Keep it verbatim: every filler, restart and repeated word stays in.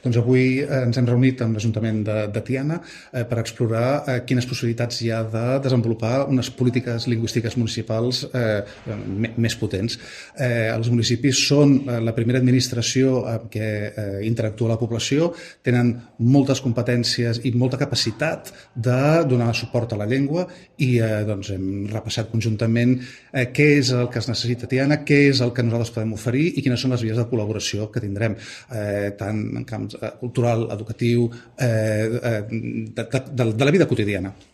Doncs avui ens hem reunit amb l'Ajuntament de, de Tiana eh, per explorar eh, quines possibilitats hi ha de desenvolupar unes polítiques lingüístiques municipals eh, més potents. Eh, els municipis són eh, la primera administració amb què eh, interactua la població, tenen moltes competències i molta capacitat de donar suport a la llengua i eh, doncs hem repassat conjuntament eh, què és el que es necessita a Tiana, què és el que nosaltres podem oferir i quines són les vies de col·laboració que tindrem, eh, tant en camps cultural, educatiu, eh, de, de, de la vida quotidiana.